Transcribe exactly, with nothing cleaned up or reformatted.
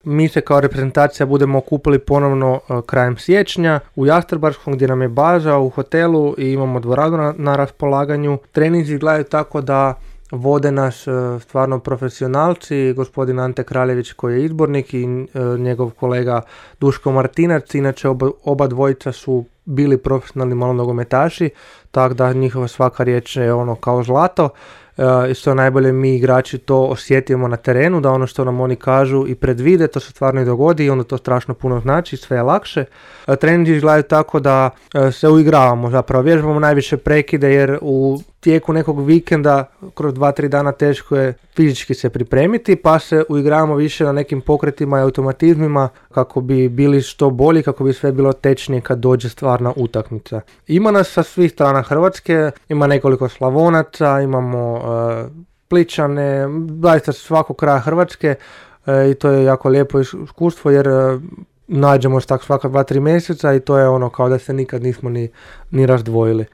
Mi se kao reprezentacija budemo okupili ponovno krajem siječnja u Jastrebarskom gdje nam je baza u hotelu i imamo dvoranu na, na raspolaganju. Treninzi izgledaju tako da vode nas stvarno profesionalci, gospodin Ante Kraljević koji je izbornik i njegov kolega Duško Martinac, inače oba, oba dvojica su bili profesionalni malo nogometaši, tako da njihova svaka riječ je ono kao zlato. I što najbolje mi igrači to osjetimo na terenu, da ono što nam oni kažu i predvide, to se stvarno i dogodi i onda to strašno puno znači, sve je lakše. Treninzi izgledaju tako da se uigravamo, zapravo vježbamo najviše prekide jer u tijeku nekog vikenda kroz dva tri dana teško je fizički se pripremiti, pa se uigravamo više na nekim pokretima i automatizmima kako bi bili što bolji, kako bi sve bilo tečnije kad dođe stvarna utakmica. Ima nas sa svih strana Hrvatske, ima nekoliko Slavonaca, imamo uh, Pličane, zaista svakog kraja Hrvatske uh, i to je jako lijepo iskustvo jer uh, nađemo se tak svaka dva tri mjeseca i to je ono kao da se nikad nismo ni, ni razdvojili.